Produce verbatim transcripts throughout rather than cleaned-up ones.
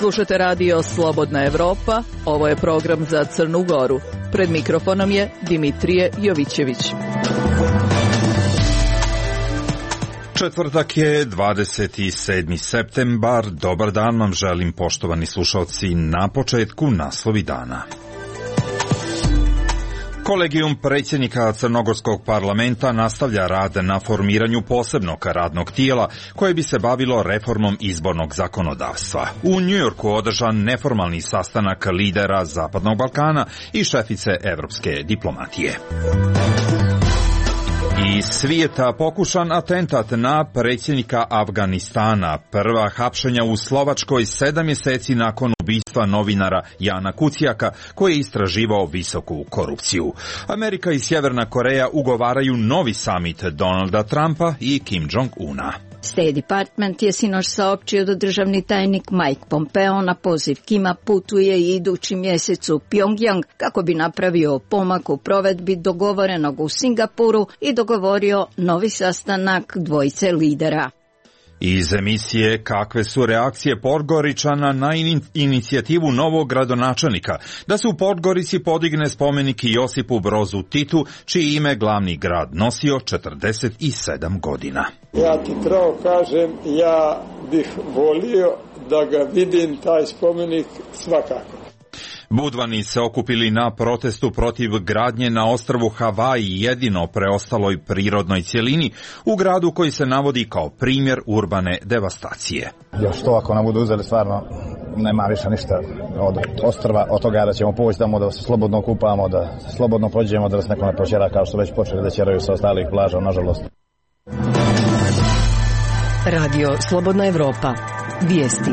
Slušate radio Slobodna Evropa, ovo je program za Crnu Goru. Pred mikrofonom je Dimitrije Jovićević. Četvrtak je dvadeset sedmi septembar. Dobar dan vam želim, poštovani slušalci, na početku naslovi dana. Kolegijum predsjednika Crnogorskog parlamenta nastavlja rad na formiranju posebnog radnog tijela koje bi se bavilo reformom izbornog zakonodavstva. U Njujorku održan neformalni sastanak lidera Zapadnog Balkana i šefice evropske diplomatije. Iz svijeta pokušan atentat na predsjednika Afganistana. Prva hapšenja u Slovačkoj sedam mjeseci nakon ubistva novinara Jana Kuciaka koji je istraživao visoku korupciju. Amerika i Sjeverna Koreja ugovaraju novi samit Donalda Trumpa i Kim Jong-una. State Department je sinoć saopćio da državni tajnik Mike Pompeo na poziv Kima putuje i idući mjesec u Pyongyang kako bi napravio pomak u provedbi dogovorenog u Singapuru i dogovorio novi sastanak dvojice lidera. Iz emisije Kakve su reakcije Podgoričana na in- inicijativu novog gradonačelnika da se u Podgorici podigne spomenik Josipu Brozu Titu, čiji ime glavni grad nosio četrdeset sedam godina. Ja ti pravo kažem, ja bih volio da ga vidim, taj spomenik, svakako. Budvani se okupili na protestu protiv gradnje na ostrvu Havaji, jedino preostaloj prirodnoj cjelini u gradu koji se navodi kao primjer urbane devastacije. Još to ako nam budu uzeli, stvarno nema više ništa od ostrva, od toga da ćemo poći tamo da se slobodno kupamo, da slobodno pođemo, da nas neko ne počera kao što već počeli da ćeraju sa ostalih plaža, nažalost. Radio Slobodna Evropa. Vijesti.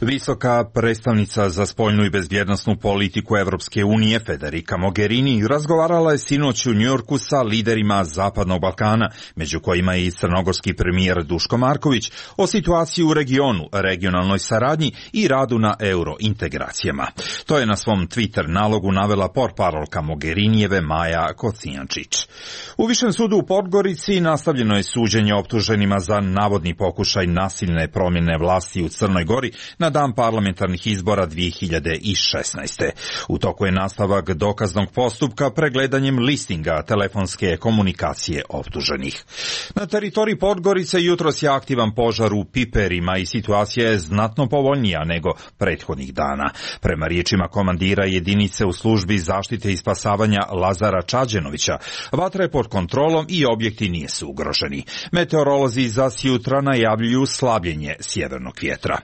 Visoka predstavnica za spoljnu i bezbjednosnu politiku Evropske unije Federica Mogherini razgovarala je sinoć u Njujorku sa liderima Zapadnog Balkana, među kojima je i crnogorski premijer Duško Marković, o situaciji u regionu, regionalnoj saradnji i radu na eurointegracijama. To je na svom Twitter nalogu navela portparolka Mogherinijeve Maja Kocijančić. U Višem sudu u Podgorici nastavljeno je suđenje optuženima za navodni pokušaj nasilne promjene vlasti u Crnoj Gori na dan parlamentarnih izbora dvije hiljade šesnaeste. U toku je nastavak dokaznog postupka pregledanjem listinga telefonske komunikacije optuženih. Na teritoriji Podgorice jutros je aktivan požar u Piperima i situacija je znatno povoljnija nego prethodnih dana. Prema riječima komandira jedinice u službi zaštite i spasavanja Lazara Čađenovića, vatra je pod kontrolom i objekti nisu ugroženi. Meteorolozi za sjutra najavljuju slabljenje sjevernog vjetra.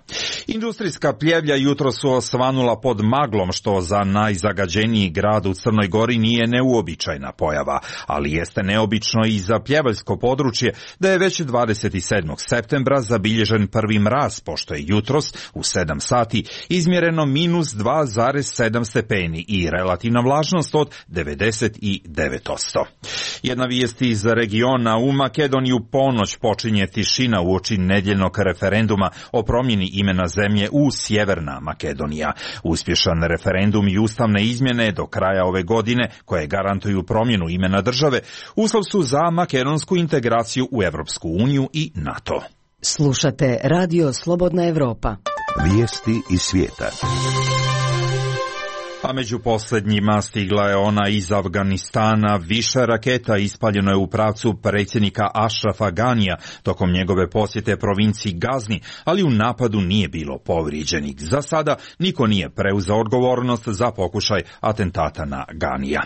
Industrijska pljevlja jutro su osvanula pod maglom, što za najzagađeniji grad u Crnoj Gori nije neuobičajena pojava, ali jeste neobično i za pljevaljsko područje da je već dvadeset sedmog septembra zabilježen prvi mraz, pošto je jutros u sedam sati izmjereno minus dva zarez sedam stepeni i relativna vlažnost od devedeset devet posto. Jedna vijest iz regiona: u Makedoniju ponoć počinje tišina uoči nedjeljnog referenduma o promjeni imena zemlje u Sjeverna Makedonija. Uspješan referendum i ustavne izmjene do kraja ove godine, koje garantuju promjenu imena države, uslov su za makedonsku integraciju u Evropsku uniju i NATO. Slušate radio Slobodna Evropa. Vijesti iz svijeta. A među posljednjima stigla je ona iz Afganistana. Više raketa ispaljeno je u pravcu predsjednika Ašrafa Ganija tokom njegove posjete provinciji Gazni, ali u napadu nije bilo povrijeđenih. Za sada niko nije preuzeo odgovornost za pokušaj atentata na Ganija.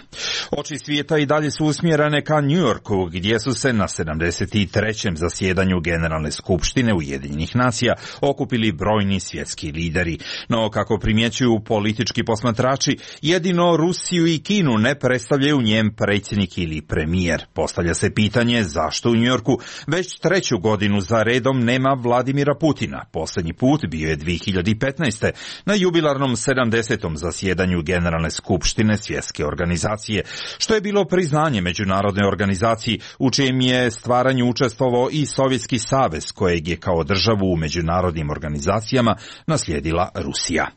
Oči svijeta i dalje su usmjerene ka Njujorku, gdje su se na sedamdeset trećem zasjedanju Generalne skupštine Ujedinjenih nacija okupili brojni svjetski lideri. No, kako primjećuju politički posmatrači, jedino Rusiju i Kinu ne predstavljaju njen predsjednik ili premijer. Postavlja se pitanje zašto u Njujorku već treću godinu za redom nema Vladimira Putina. Posljednji put bio je dvije hiljade petnaeste. na jubilarnom sedamdesetom zasjedanju Generalne skupštine Svjetske organizacije, što je bilo priznanje međunarodnoj organizaciji u čijem je stvaranju učestvovao i Sovjetski savez, kojeg je kao državu u međunarodnim organizacijama naslijedila Rusija.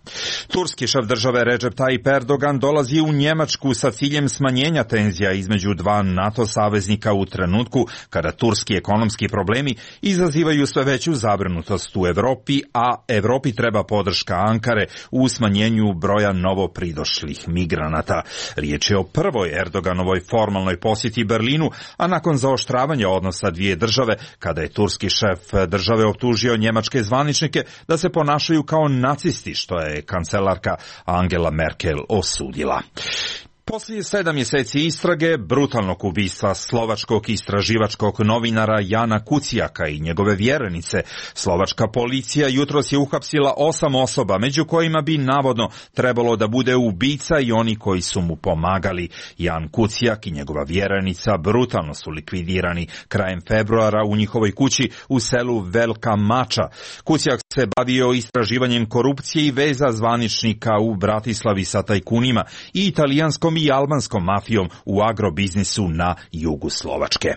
Turski šef države Recep Tayyip Tayyip Erdogan dolazi u Njemačku sa ciljem smanjenja tenzija između dva NATO saveznika u trenutku kada turski ekonomski problemi izazivaju sve veću zabrinutost u Evropi, a Evropi treba podrška Ankare u smanjenju broja novopridošlih migranata. Riječ je o prvoj Erdoganovoj formalnoj posjeti Berlinu, a nakon zaoštravanja odnosa dvije države, kada je turski šef države optužio njemačke zvaničnike da se ponašaju kao nacisti, što je kancelarka Angela Merkel osudila. Poslije sedam mjeseci istrage brutalnog ubistva slovačkog istraživačkog novinara Jana Kuciaka i njegove vjerenice, slovačka policija jutros je uhapsila osam osoba, među kojima bi navodno trebalo da bude ubica i oni koji su mu pomagali. Jan Kuciak i njegova vjerenica brutalno su likvidirani krajem februara u njihovoj kući u selu Velika Mača. Kuciak se bavio istraživanjem korupcije i veza zvaničnika u Bratislavi sa tajkunima i italijanskom i albanskom mafijom u agrobiznisu na jugu Slovačke.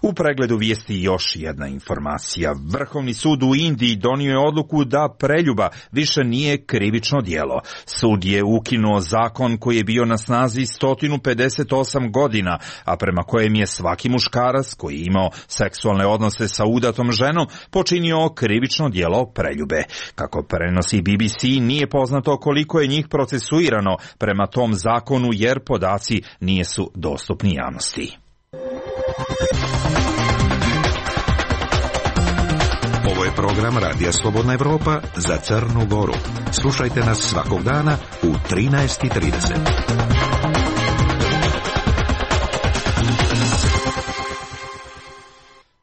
U pregledu vijesti još jedna informacija. Vrhovni sud u Indiji donio je odluku da preljuba više nije krivično djelo. Sud je ukinuo zakon koji je bio na snazi sto pedeset osam godina, a prema kojem je svaki muškarac koji je imao seksualne odnose sa udatom ženom počinio krivično djelo preljube. Kako prenosi B B C, nije poznato koliko je njih procesuirano prema tom zakonu, jer podaci nisu dostupni javnosti. Ovo je program Radija Slobodna Evropa za Crnu Goru. Slušajte nas svakog dana u trinaest i trideset.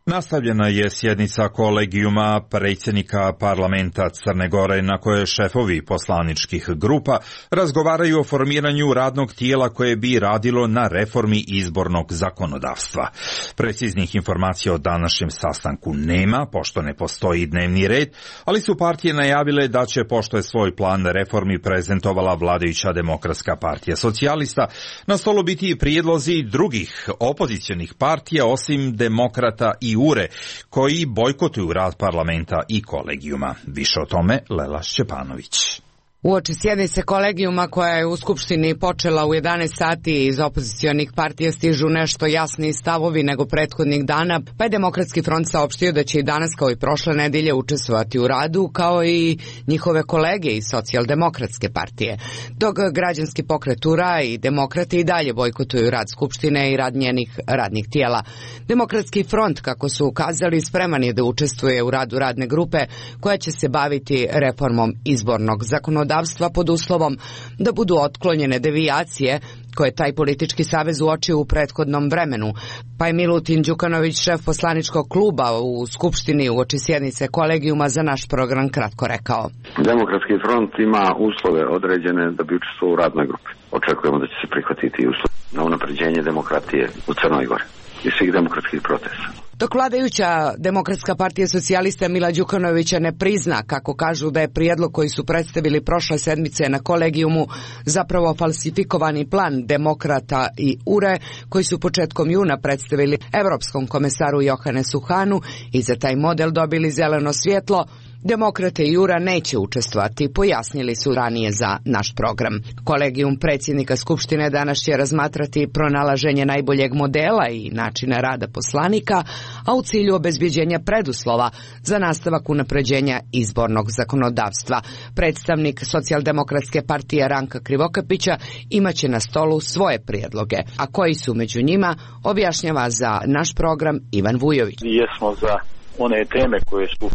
Nastavljena je sjednica kolegijuma predsjednika parlamenta Crne Gore, na kojoj šefovi poslaničkih grupa razgovaraju o formiranju radnog tijela koje bi radilo na reformi izbornog zakonodavstva. Preciznih informacija o današnjem sastanku nema, pošto ne postoji dnevni red, ali su partije najavile da će, pošto je svoj plan reformi prezentovala vladajuća Demokratska partija socijalista, na stolu biti prijedlozi drugih opozicionih partija osim Demokrata i U R E, koji bojkotuju rad parlamenta i kolegijuma. Više o tome Lela Šćepanović. Uoči sjednice kolegijuma koja je u Skupštini počela u jedanaest sati, iz opozicionih partija stižu nešto jasniji stavovi nego prethodnih dana, pa je Demokratski front saopštio da će i danas kao i prošle nedelje učestvovati u radu, kao i njihove kolege iz Socijaldemokratske partije. Dok Građanski pokret U R A i Demokrati i dalje bojkotuju rad Skupštine i rad njenih radnih tijela. Demokratski front, kako su ukazali, spreman je da učestvuje u radu radne grupe koja će se baviti reformom izbornog zakonodavstva pod uslovom da budu otklonjene devijacije koje taj politički savez uočio u prethodnom vremenu. Pa je Milutin Đukanović, šef poslaničkog kluba u Skupštini uoči sjednice kolegijuma, za naš program kratko rekao. Demokratski front ima uslove određene da bi učestvovao u radnoj grupi. Očekujemo da će se prihvatiti uslov na unapređenje demokratije u Crnoj Gori i svih demokratskih procesa. Dok vladajuća Demokratska partija socijalista Mila Đukanovića ne prizna, kako kažu, da je prijedlog koji su predstavili prošle sedmice na kolegijumu zapravo falsifikovani plan Demokrata i U R E koji su početkom juna predstavili Evropskom komesaru Johannesu Hahnu i za taj model dobili zeleno svjetlo, Demokrate i U R A neće učestvovati, pojasnili su ranije za naš program. Kolegijum predsjednika Skupštine danas će razmatrati pronalaženje najboljeg modela i načina rada poslanika, a u cilju obezbjeđenja preduslova za nastavak unapređenja izbornog zakonodavstva. Predstavnik Socijaldemokratske partije Ranka Krivokapića imaće na stolu svoje prijedloge, a koji su među njima, objašnjava za naš program Ivan Vujović. Jesmo za one teme koje su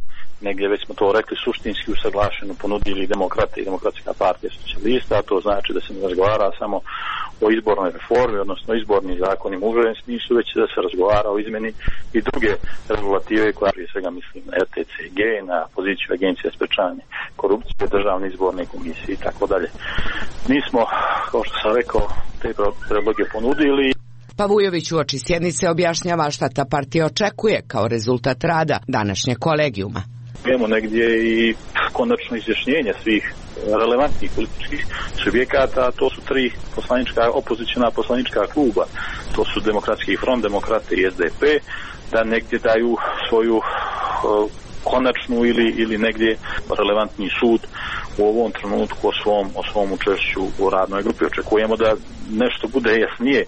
negdje, već smo to rekli, suštinski usaglašeno ponudili Demokrati i Demokratska partija socijalista, a to znači da se ne razgovara samo o izbornoj reformi, odnosno izbornim zakonima u užem smislu, već da se razgovara o izmeni i druge regulative koja, prije svega mislim na R T C G, na poziciju Agencije za sprečavanje korupcije, Državne izborne komisije i tako dalje. Mi smo, kao što sam rekao, te predloge ponudili. Pa Vujović uoči sjednice objašnjava šta ta partija očekuje kao rezultat rada današnjeg kolegijuma. Imamo negdje i konačno izjašnjenje svih relevantnih političkih subjekata, a to su tri poslanička, opozicijna poslanička kluba, to su Demokratski front, Demokrate i S D P, da negdje daju svoju uh, konačnu ili, ili negdje relevantni sud u ovom trenutku o svom, o svom učešću u radnoj grupi. Očekujemo da nešto bude jasnije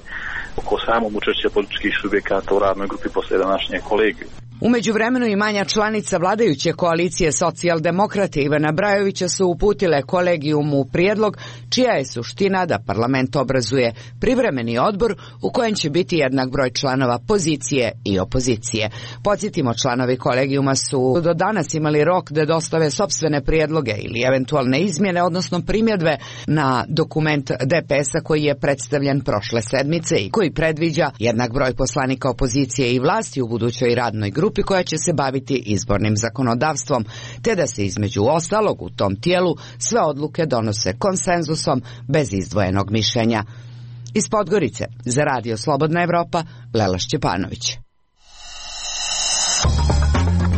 oko samog učešća političkih subjekata u radnoj grupi posle današnje kolegije. U međuvremenu i manja članica vladajuće koalicije Socijaldemokrate Ivana Brajovića su uputile kolegijumu prijedlog čija je suština da parlament obrazuje privremeni odbor u kojem će biti jednak broj članova pozicije i opozicije. Podsjetimo, članovi kolegijuma su do danas imali rok da dostave sopstvene prijedloge ili eventualne izmjene, odnosno primjedbe na dokument D P S-a koji je predstavljen prošle sedmice i koji predviđa jednak broj poslanika opozicije i vlasti u budućoj radnoj grupi koja će se baviti izbornim zakonodavstvom, te da se između ostalog u tom tijelu sve odluke donose konsenzusom bez izdvojenog mišljenja. Iz Podgorice za Radio Slobodna Evropa, Lela Šćepanović.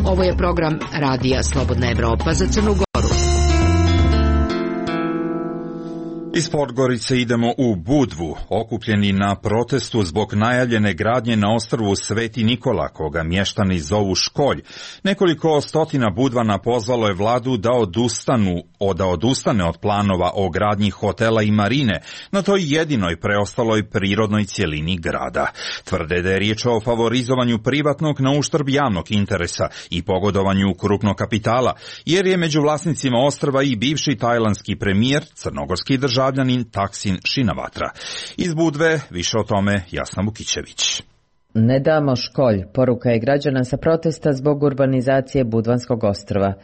Ovo je program Radija Slobodna Evropa za Crnu Goru. Iz Podgorice idemo u Budvu, okupljeni na protestu zbog najavljene gradnje na ostrvu Sveti Nikola, koga mještani zovu Školj. Nekoliko stotina Budvana pozvalo je vladu da odustanu, da odustane od planova o gradnji hotela i marine na toj jedinoj preostaloj prirodnoj cjelini grada. Tvrde da je riječ o favorizovanju privatnog na uštrb javnog interesa i pogodovanju krupnog kapitala, jer je među vlasnicima ostrva i bivši tajlandski premijer, crnogorski državljanin Taksin Shinawatra. Iz Budve više o tome Jasna Vukićević. Ne damo Školj, poruka je građana sa protesta zbog urbanizacije Budvanskog ostrva.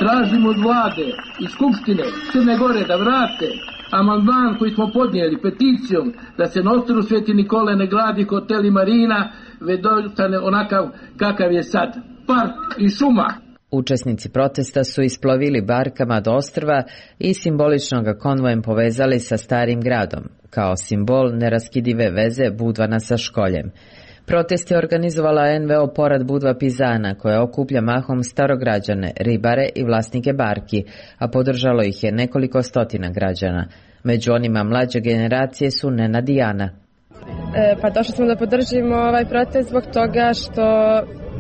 Tražimo od vlade i Skupštine Crne Gore da vrate amandman koji smo podnijeli peticijom da se na ostrvu Sveti Nikole ne gradi hotel i marina, već dostane onakav kakav je sad, park i šuma. Učesnici protesta su isplovili barkama do ostrva i simbolično ga konvojem povezali sa starim gradom, kao simbol neraskidive veze Budvana sa Školjem. Protest je organizovala N V O Porad Budva Pizana, koja okuplja mahom starograđane, ribare i vlasnike barki, a podržalo ih je nekoliko stotina građana. Među onima mlađe generacije su Nenad i Ana. E, pa došli smo da podržimo ovaj protest zbog toga što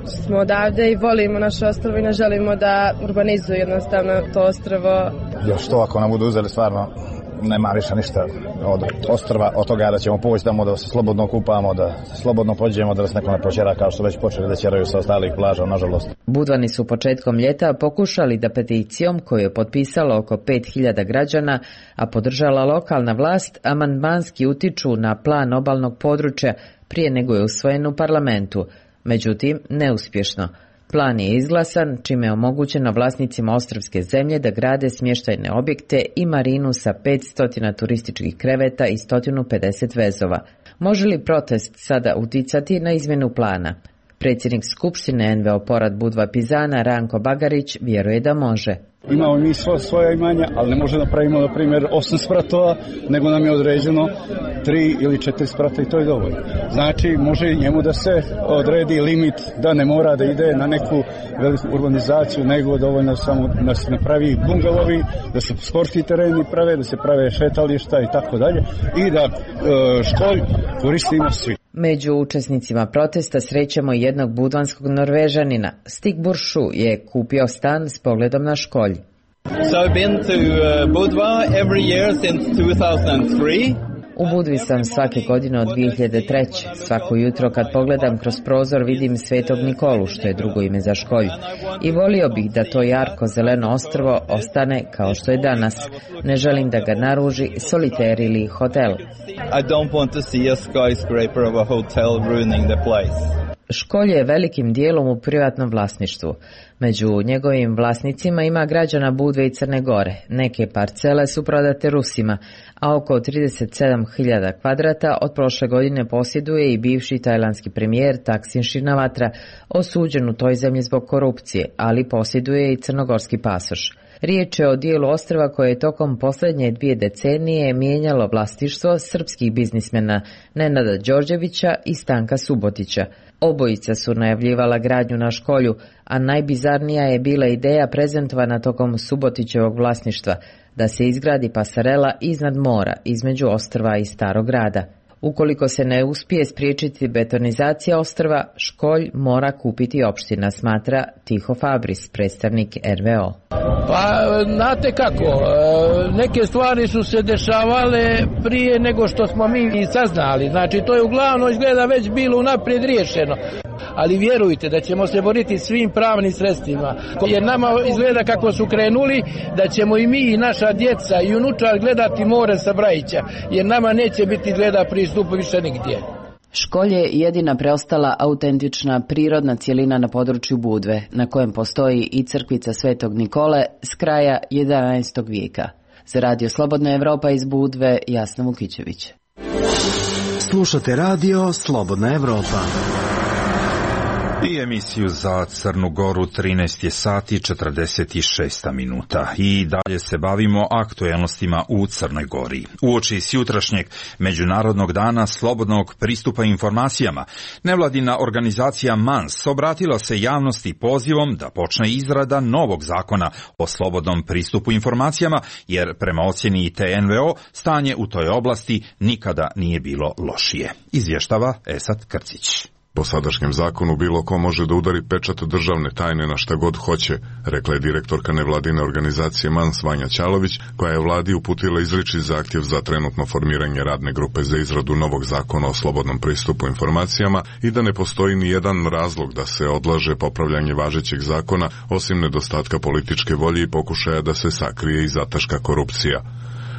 smo odavde i volimo naše ostrvo i ne želimo da urbanizuju jednostavno to ostrvo. Još to ako nam budu uzeli stvarno nema više ništa od ostrva, od toga da ćemo poći tamo da se slobodno kupamo, da slobodno pođemo, da nas neko ne proćera kao što već počeli da ćeraju sa ostalih plaža, nažalost. Budvani su početkom ljeta pokušali da peticijom koju je potpisalo oko pet hiljada građana, a podržala lokalna vlast, amandmanski utiču na plan obalnog područja prije nego je usvojen u parlamentu. Međutim, neuspješno. Plan je izglasan, čime je omogućeno vlasnicima ostrvske zemlje da grade smještajne objekte i marinu sa petsto turističkih kreveta i sto pedeset vezova. Može li protest sada uticati na izmjenu plana? Predsjednik Skupštine N V O Porad Budva Pizana Ranko Bagarić vjeruje da može. Imamo mi svo, svoja imanja, ali ne može da pravimo, na primjer, osam spratova, nego nam je određeno tri ili četiri sprata i to je dovoljno. Znači, može njemu da se odredi limit, da ne mora da ide na neku veliku urbanizaciju, nego dovoljno samo da se napravi bungalovi, da se sportski tereni prave, da se prave šetališta i tako dalje i da Školj koristimo svi. Među učesnicima protesta srećemo jednog budvanskog Norvežanina. Stig Buršu je kupio stan s pogledom na Školj. So I've been to Budva every year since two thousand three. U Budvi sam svake godine od dvije hiljade treće. Svako jutro kad pogledam kroz prozor vidim Svetog Nikolu, što je drugo ime za Školj. I volio bih da to jarko zeleno ostrvo ostane kao što je danas. Ne želim da ga naruži soliter ili hotel. I don't want to see a skyscraper of a hotel ruining the place. Školj je velikim dijelom u privatnom vlasništvu. Među njegovim vlasnicima ima građana Budve i Crne Gore. Neke parcele su prodate Rusima, a oko trideset sedam hiljada kvadrata od prošle godine posjeduje i bivši tajlandski premijer Taksin Shinawatra, osuđen u toj zemlji zbog korupcije, ali posjeduje i crnogorski pasoš. Riječ je o dijelu ostrva koje je tokom posljednje dvije decenije mijenjalo vlasništvo srpskih biznismena Nenada Đorđevića i Stanka Subotića. Obojica su najavljivala gradnju na Školju, a najbizarnija je bila ideja prezentovana tokom Subotićevog vlasništva, da se izgradi pasarela iznad mora, između ostrva i Starog grada. Ukoliko se ne uspije spriječiti betonizacija ostrva, školj mora kupiti opština, smatra Tiho Fabris, predstavnik er ve o. Pa, znate kako, neke stvari su se dešavale prije nego što smo mi i saznali. Znači, to je uglavnom izgleda već bilo unaprijed riješeno. Ali vjerujte da ćemo se boriti svim pravnim sredstvima. Jer nama izgleda kako su krenuli, da ćemo i mi i naša djeca i unučar gledati more sa Brajića. Jer nama neće biti gleda pristup više nigdje. Školj je jedina preostala autentična prirodna cjelina na području Budve, na kojem postoji i crkvica Svetog Nikole s kraja jedanaestog vijeka. Za Radio Slobodna Evropa iz Budve, Jasna Vukićević. Slušate Radio Slobodna Evropa. I emisiju za Crnu Goru trinaest je sati četrdeset šest minuta i dalje se bavimo aktuelnostima u Crnoj Gori. Uoči sjutrašnjeg Međunarodnog dana slobodnog pristupa informacijama, nevladina organizacija MANS obratila se javnosti pozivom da počne izrada novog zakona o slobodnom pristupu informacijama, jer prema ocjeni te en ve o stanje u toj oblasti nikada nije bilo lošije. Izvještava Esat Krcić. Po sadašnjem zakonu bilo ko može da udari pečat državne tajne na šta god hoće, rekla je direktorka nevladine organizacije MANS Vanja Ćalović, koja je vladi uputila izričit zahtjev za trenutno formiranje radne grupe za izradu novog zakona o slobodnom pristupu informacijama i da ne postoji ni jedan razlog da se odlaže popravljanje važećeg zakona, osim nedostatka političke volje i pokušaja da se sakrije i zataška korupcija.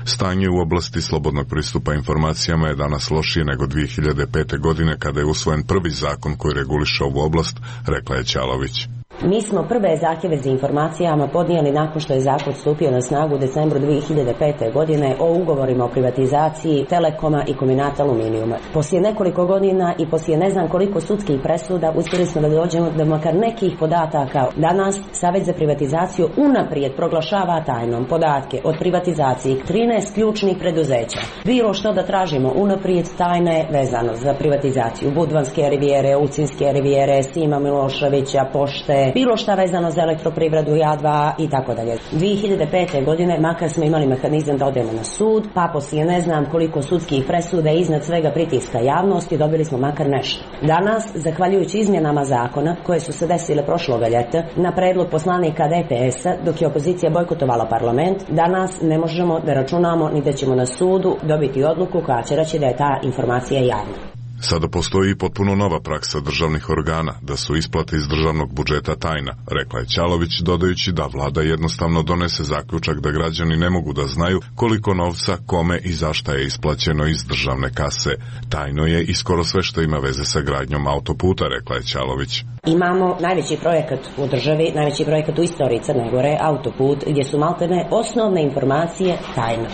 Stanje u oblasti slobodnog pristupa informacijama je danas lošije nego dvije hiljade pete. godine kada je usvojen prvi zakon koji reguliše ovu oblast, rekla je Ćalović. Mi smo prve zahtjeve za informacijama podnijeli nakon što je zakon stupio na snagu u decembru dvije hiljade pete. godine o ugovorima o privatizaciji Telekoma i kombinata aluminijuma. Poslije nekoliko godina i poslije ne znam koliko sudskih presuda uspjeli smo da dođemo do makar nekih podataka. Danas Savjet za privatizaciju unaprijed proglašava tajnom podatke od privatizacije trinaest ključnih preduzeća. Bilo što da tražimo unaprijed tajne vezano za privatizaciju Budvanske rivijere, Ucinske rivijere, Sima Miloševića, Pošte, bilo šta vezano za elektroprivredu, ja dva i tako dalje. dvije hiljade pete. godine makar smo imali mehanizam da odemo na sud, pa poslije ne znam koliko sudskih presuda i iznad svega pritiska javnosti dobili smo makar nešto. Danas, zahvaljujući izmjenama zakona koje su se desile prošloga ljeta na predlog poslanika de pe es-a dok je opozicija bojkotovala parlament, danas ne možemo da računamo ni da ćemo na sudu dobiti odluku koja će reći da je ta informacija javna. Sada postoji i potpuno nova praksa državnih organa da su isplate iz državnog budžeta tajna, rekla je Ćalović, dodajući da vlada jednostavno donese zaključak da građani ne mogu da znaju koliko novca, kome i zašta je isplaćeno iz državne kase. Tajno je i skoro sve što ima veze sa gradnjom autoputa, rekla je Ćalović. Imamo najveći projekat u državi, najveći projekat u istoriji Crne Gore, autoput, gdje su maltene osnovne informacije tajne.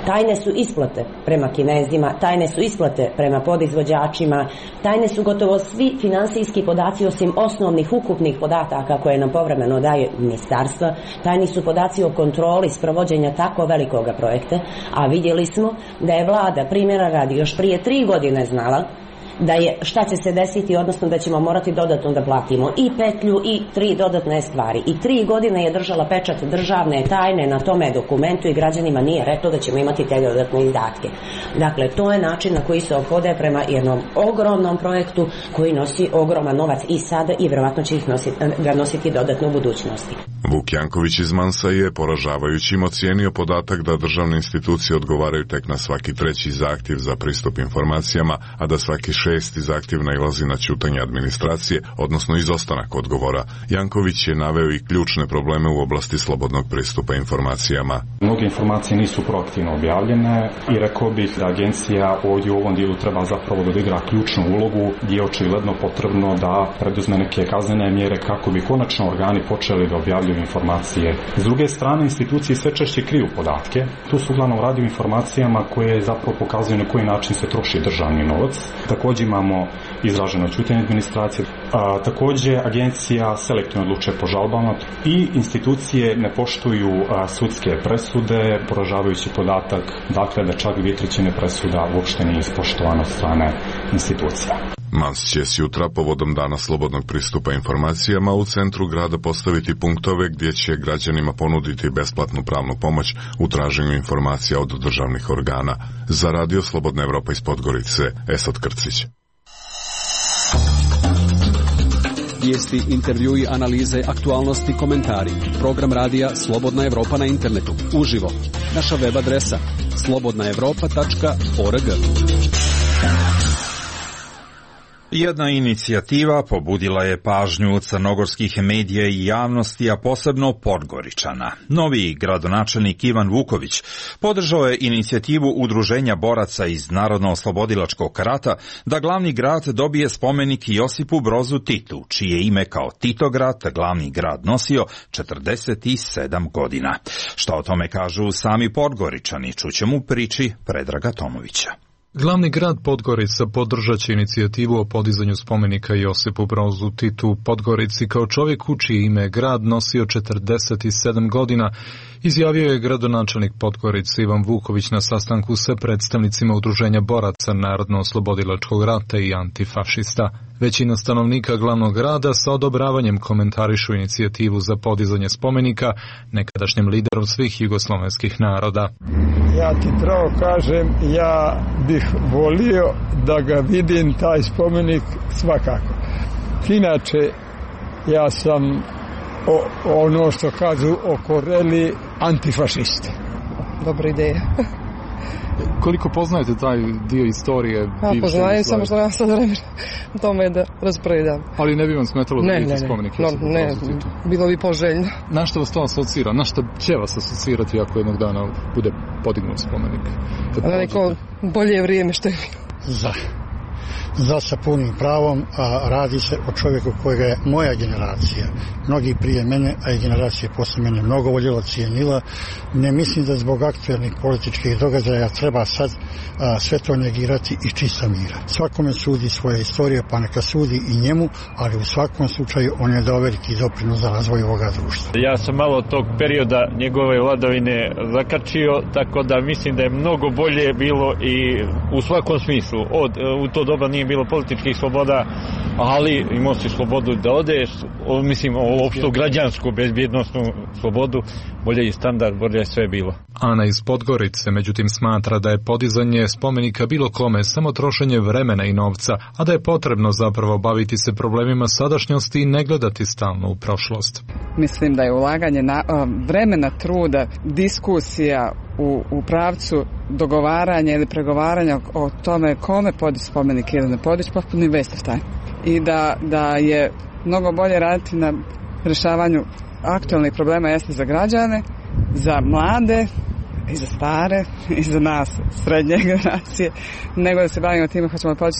Tajne su isplate prema Kinezima, tajne su isplate prema podizvođačima, tajne su gotovo svi finansijski podaci osim osnovnih ukupnih podataka koje nam povremeno daje ministarstva. Tajni su podaci o kontroli sprovođenja tako velikoga projekta, a vidjeli smo da je vlada, primjera radi, još prije tri godine znala da je šta će se desiti, odnosno da ćemo morati dodatno da platimo i petlju i tri dodatne stvari. I tri godine je držala pečat državne tajne na tome dokumentu i građanima nije reklo da ćemo imati te dodatne izdatke. Dakle, to je način na koji se ophode prema jednom ogromnom projektu koji nosi ogroman novac i sada i vjerovatno će ih nositi, ga nositi dodatno u budućnosti. Vuk Janković iz Mansa je poražavajućim ocijenio podatak da državne institucije odgovaraju tek na svaki treći zahtjev za pristup informacijama, a da svaki šesti zahtjev nailazi na ćutanje administracije, odnosno izostanak odgovora. Janković je naveo i ključne probleme u oblasti slobodnog pristupa informacijama. Mnoge informacije nisu proaktivno objavljene i rekao bih da agencija ovdje u ovom dijelu treba zapravo da odigra ključnu ulogu gdje je očigledno potrebno da preduzme neke kaznene mjere kako bi konačno organi počeli da objavljuju informacije. S druge strane, institucije sve češće kriju podatke. Tu su uglavnom radi o informacijama koje zapravo pokazuju na koji način se troši državni novac. Također imamo izraženo ćutanje administracije. A, također agencija selektivno odlučuje po žalbama i institucije ne poštuju a, sudske presude, poražavajući podatak dakle da čak dvije trećine presuda uopšte nije ispoštovano od strane institucija. Mans će s jutra povodom dana slobodnog pristupa informacijama u centru grada postaviti punktove gdje će građanima ponuditi besplatnu pravnu pomoć u traženju informacija od državnih organa. Za Radio Slobodna Evropa iz Podgorice, Esad Krcić. Vijesti, intervjui, analize, aktualnosti, komentari. Program radija Slobodna Evropa na internetu. Uživo. Naša web adresa slobodna evropa tačka org. Jedna inicijativa pobudila je pažnju crnogorskih medija i javnosti, a posebno Podgoričana. Novi gradonačelnik Ivan Vuković podržao je inicijativu Udruženja boraca iz Narodno-oslobodilačkog rata da glavni grad dobije spomenik Josipu Brozu Titu, čije ime kao Titograd glavni grad nosio četrdeset sedam godina. Šta o tome kažu sami Podgoričani, čućemo u priči Predraga Tomovića. Glavni grad Podgorica podržat će inicijativu o podizanju spomenika Josipu Brozu Titu u Podgorici kao čovjeku čije ime grad nosio četrdeset sedam godina, izjavio je gradonačelnik Podgorice Ivan Vuković na sastanku sa predstavnicima Udruženja boraca Narodno-oslobodilačkog rata i antifašista. Većina stanovnika glavnog grada sa odobravanjem komentarišu inicijativu za podizanje spomenika nekadašnjem lideru svih jugoslovenskih naroda. Ja ti pravo kažem, ja bih volio da ga vidim, taj spomenik, svakako. Inače, ja sam o, ono što kažu okoreli antifašisti. Dobra ideja. Koliko poznajete taj dio istorije? Ja poznajem, samo što ja sad vremena tome da raspravljam. Ali ne bi vam smetalo da vidite spomenik? Ne, ne, ne, bilo bi poželjno. Na što vas to asocira? Na što će vas asocirati ako jednog dana bude podignut spomenik? Na neko bolje vrijeme što je bilo. Za, za sa punim pravom, a radi se o čovjeku kojega je moja generacija, mnogi prije mene, a i generacije posle mene mnogo voljela, cijenila. Ne mislim da zbog aktualnih političkih događaja treba sad a, sve to negirati i čista mira. Svakome sudi svoja istorija, pa neka sudi i njemu, ali u svakom slučaju on je dao veliki doprinos za razvoj ovoga društva. Ja sam malo tog perioda njegove vladavine zakačio, tako da mislim da je mnogo bolje bilo i u svakom smislu. Od, u to doba nije bilo političkih sloboda, ali imao si slobodu da odeš, o, mislim o opštu građansku bezbjednostnu slobodu, bolje i standard, bolje je sve bilo. Ana iz Podgorice međutim smatra da je podizanje spomenika bilo kome samo trošenje vremena i novca, a da je potrebno zapravo baviti se problemima sadašnjosti i ne gledati stalno u prošlost. Mislim da je ulaganje na, vremena, truda, diskusija u, u pravcu dogovaranja ili pregovaranja o tome kome podići spomenik ili ne podići, potpuni waste of time. I da, da je mnogo bolje raditi na rješavanju aktualnih problema jeste za građane, za mlade i za stare i za nas srednje generacije, nego da se bavimo time hoćemo podići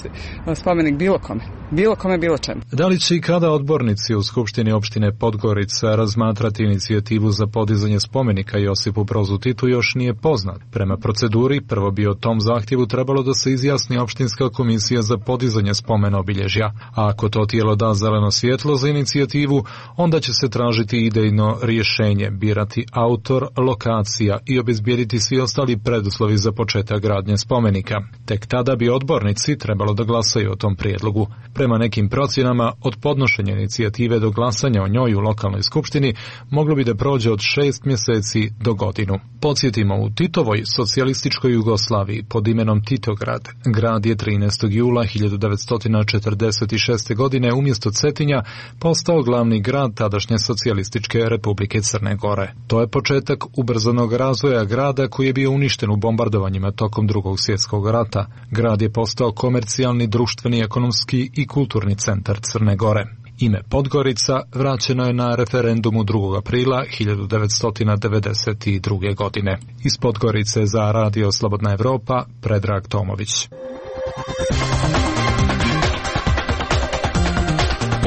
spomenik bilo kome. Bilo kome, bilo čemu. Da li će i kada odbornici u Skupštini opštine Podgorica razmatrati inicijativu za podizanje spomenika Josipu Brozu Titu još nije poznat. Prema proceduri, prvo bi o tom zahtjevu trebalo da se izjasni opštinska komisija za podizanje spomena obilježja, a ako to tijelo da zeleno svjetlo za inicijativu, onda će se tražiti idejno rješenje, birati autor, lokacija i obezbijediti svi ostali preduslovi za početak gradnje spomenika. Tek tada bi odbornici trebalo da glasaju o tom prijedlogu. Prema nekim procjenama, od podnošenja inicijative do glasanja o njoj u lokalnoj skupštini moglo bi da prođe od šest mjeseci do godinu. Podsjetimo, u Titovoj socijalističkoj Jugoslaviji pod imenom Titograd, grad je trinaestog jula hiljadu devetsto četrdeset šeste. godine umjesto Cetinja postao glavni grad tadašnje socijalističke Republike Crne Gore. To je početak ubrzanog razvoja grada koji je bio uništen u bombardovanjima tokom Drugog svjetskog rata. Grad je postao komercijalni, društveni, ekonomski i kulturni centar Crne Gore. Ime Podgorica vraćeno je na referendumu drugog aprila hiljadu devetsto devedeset druge. godine. Iz Podgorice za Radio Slobodna Evropa, Predrag Tomović.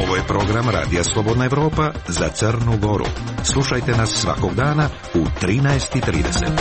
Ovo je program Radija Slobodna Evropa za Crnu Goru. Slušajte nas svakog dana u trinaest i trideset.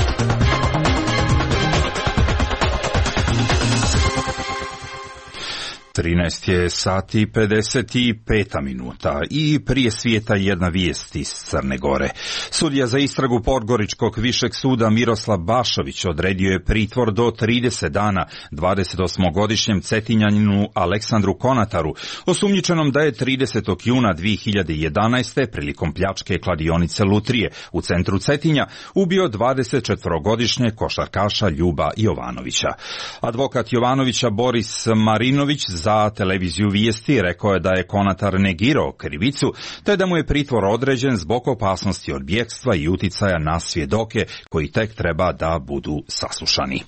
trinaest je sati pedeset pet minuta i prije svijeta jedna vijest iz Crne Gore. Sudija za istragu Podgoričkog višeg suda Miroslav Bašović odredio je pritvor do trideset dana dvadesetosmogodišnjem Cetinjaninu Aleksandru Konataru, osumnjičenom da je tridesetog juna dvije hiljade jedanaeste. prilikom pljačke kladionice Lutrije u centru Cetinja ubio dvadesetčetvorogodišnjeg košarkaša Ljuba Jovanovića. Advokat Jovanovića Boris Marinović za televiziju Vijesti rekao je da je Konatar negirao krivicu, te da mu je pritvor određen zbog opasnosti od bjegstva i uticaja na svjedoke koji tek treba da budu saslušani.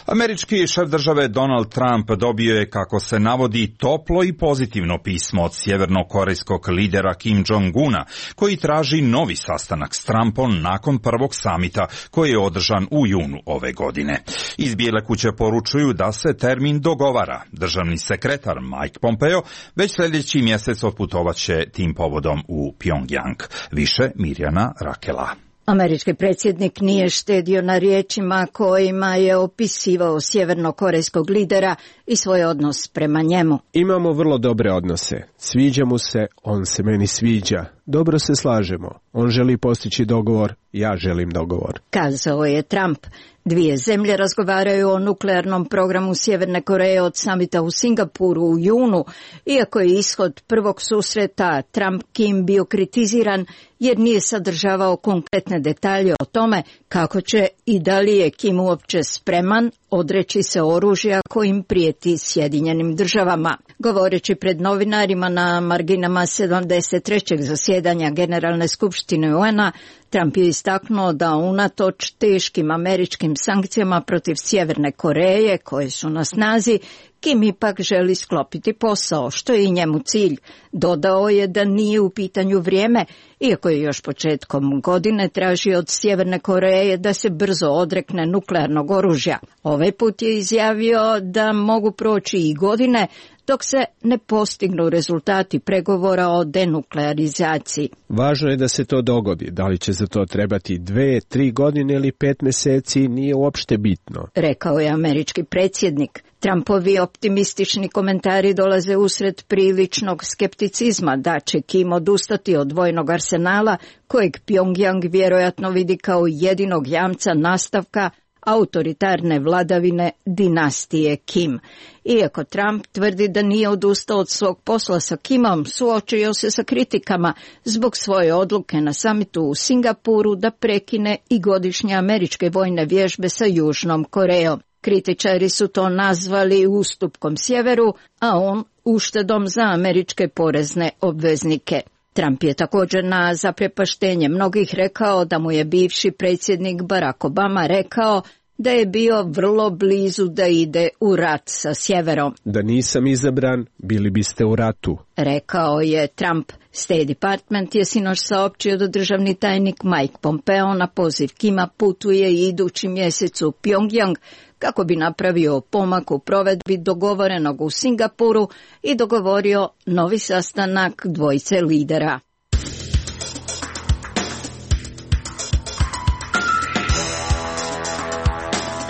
Američki šef države Donald Trump dobio je, kako se navodi, toplo i pozitivno pismo od sjevernokorejskog lidera Kim Jong-una, koji traži novi sastanak s Trumpom nakon prvog samita koji je održan u junu ove godine. Iz Bijele kuće poručuju da se termin dogovara. Državni sekretar Mike Pompeo već sljedeći mjesec otputovaće tim povodom u Pyongyang. Više Mirjana Rakela. Američki predsjednik nije štedio na riječima kojima je opisivao sjevernokorejskog lidera i svoj odnos prema njemu. Imamo vrlo dobre odnose. Sviđa mu se, on se meni sviđa. Dobro se slažemo. On želi postići dogovor, ja želim dogovor. Kazao je Trump. Dvije zemlje razgovaraju o nuklearnom programu Sjeverne Koreje od samita u Singapuru u junu, iako je ishod prvog susreta Trump-Kim bio kritiziran jer nije sadržavao konkretne detalje o tome kako će i da li je Kim uopće spreman odreći se oružja kojim prijeti Sjedinjenim državama. Govoreći pred novinarima na marginama sedamdeset trećeg zasjedanja Generalne skupštine U N A, Trump je istaknuo da unatoč teškim američkim sankcijama protiv Sjeverne Koreje koje su na snazi, Kim ipak želi sklopiti posao, što je i njemu cilj. Dodao je da nije u pitanju vrijeme, iako je još početkom godine tražio od Sjeverne Koreje da se brzo odrekne nuklearnog oružja. Ovaj put je izjavio da mogu proći i godine dok se ne postignu rezultati pregovora o denuklearizaciji. Važno je da se to dogodi. Da li će za to trebati dve, tri godine ili pet mjeseci, nije uopšte bitno, rekao je američki predsjednik. Trumpovi optimistični komentari dolaze usred priličnog skepticizma da će Kim odustati od vojnog arsenala, kojeg Pyongyang vjerojatno vidi kao jedinog jamca nastavka autoritarne vladavine dinastije Kim. Iako Trump tvrdi da nije odustao od svog posla sa Kimom, suočio se sa kritikama zbog svoje odluke na samitu u Singapuru da prekine i godišnje američke vojne vježbe sa Južnom Korejom. Kritičari su to nazvali ustupkom sjeveru, a on uštedom za američke porezne obveznike. Trump je također na zaprepaštenje mnogih rekao da mu je bivši predsjednik Barack Obama rekao da je bio vrlo blizu da ide u rat sa sjeverom. Da nisam izabran, bili biste u ratu, rekao je Trump. State Department je sinoć saopćio da državni tajnik Mike Pompeo na poziv Kima putuje idući mjesec u Pyongyang kako bi napravio pomak u provedbi dogovorenog u Singapuru i dogovorio novi sastanak dvojice lidera.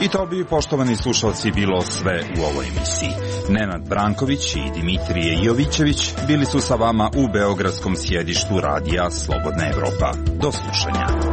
I to bi, poštovani slušalci, bilo sve u ovoj emisiji. Nenad Branković i Dimitrije Jovićević bili su sa vama u beogradskom sjedištu radija Slobodna Evropa. Do slušanja.